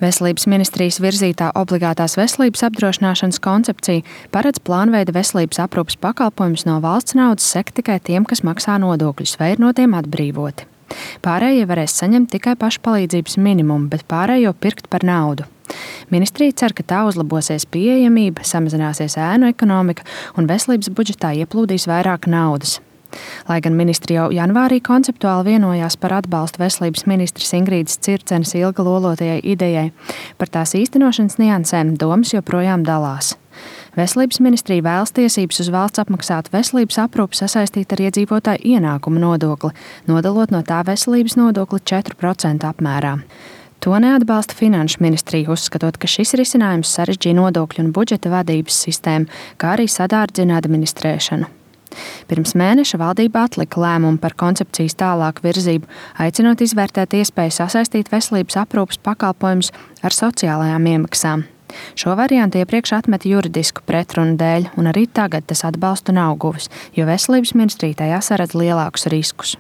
Veselības ministrijas virzītā obligātās veselības apdrošināšanas koncepcija paredz plānveida veselības aprūpes pakalpojumus no valsts naudas sekt tikai tiem, kas maksā nodokļus, vai ir no tiem atbrīvoti. Pārējie varēs saņemt tikai pašpalīdzības minimumu, bet pārējo pirkt par naudu. Ministrija cer, ka tā uzlabosies pieejamība, samazināsies ēnu ekonomika un veselības budžetā ieplūdīs vairāk naudas. Lai gan ministri jau janvārī konceptuāli vienojās par atbalstu veselības ministres Ingrīdas Circenes ilgi lolotajai idejai, par tās īstenošanas niansēm domas joprojām dalās. Veselības ministrija vēlas tiesības uz valsts apmaksātu veselības aprūpi sasaistīt ar iedzīvotāju ienākumu nodokli, nodalot no tā veselības nodokli 4% apmērā. To neatbalsta Finanšu ministrija, uzskatot, ka šis risinājums sarežģīja nodokļu un budžeta vadības sistēmu, kā arī sadārdzina administrēšanu. Pirms mēneša valdība atlika lēmumu par koncepcijas tālāku virzību, aicinot izvērtēt iespēju sasaistīt veselības aprūpes pakalpojumus ar sociālajām iemaksām. Šo variantu iepriekš atmeta juridisku pretrunu dēļ, un arī tagad tas atbalstu nav guvis, jo veselības ministrija tajā saredz lielākus riskus.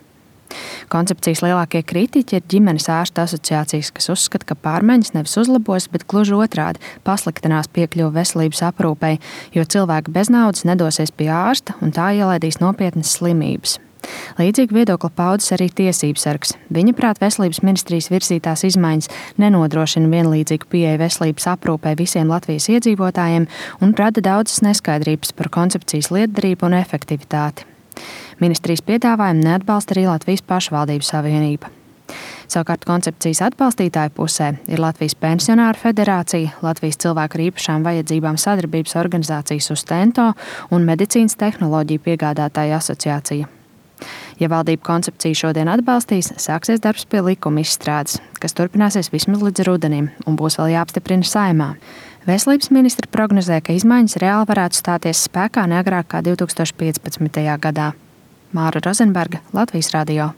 Koncepcijas lielākie kritiķi ir ģimenes ārstu asociācijas, kas uzskata, ka pārmaiņas nevis uzlabos, bet gluži otrādi pasliktinās piekļuvi veselības aprūpei, jo cilvēki bez naudas nedosies pie ārsta un tā ielaidīs nopietnas slimības. Līdzīgi viedokli paudas arī tiesību sargs. Viņa prāt veselības ministrijas virzītās izmaiņas nenodrošina vienlīdzīgu pieeju veselības aprūpei visiem Latvijas iedzīvotājiem un rada daudzas neskaidrības par koncepcijas lietderību un efektivitāti. Ministrijas piedāvājumu neatbalsta arī Latvijas pašvaldību savienība. Savukārt koncepcijas atbalstītāju pusē ir Latvijas pensionāru federācija, Latvijas cilvēku ar īpašām vajadzībām sadarbības organizācija Sustento un medicīnas tehnoloģiju piegādātāju asociācija. Ja valdība koncepciju šodien atbalstīs, sāksies darbs pie likuma izstrādes, kas turpināsies vismaz līdz rudenim un būs vēl jāapstiprina Saeimā. Veselības ministre prognozē, ka izmaiņas reāli varētu stāties spēkā neagrāk kā 2015. gadā. Māra Rozenberga, Latvijas radio.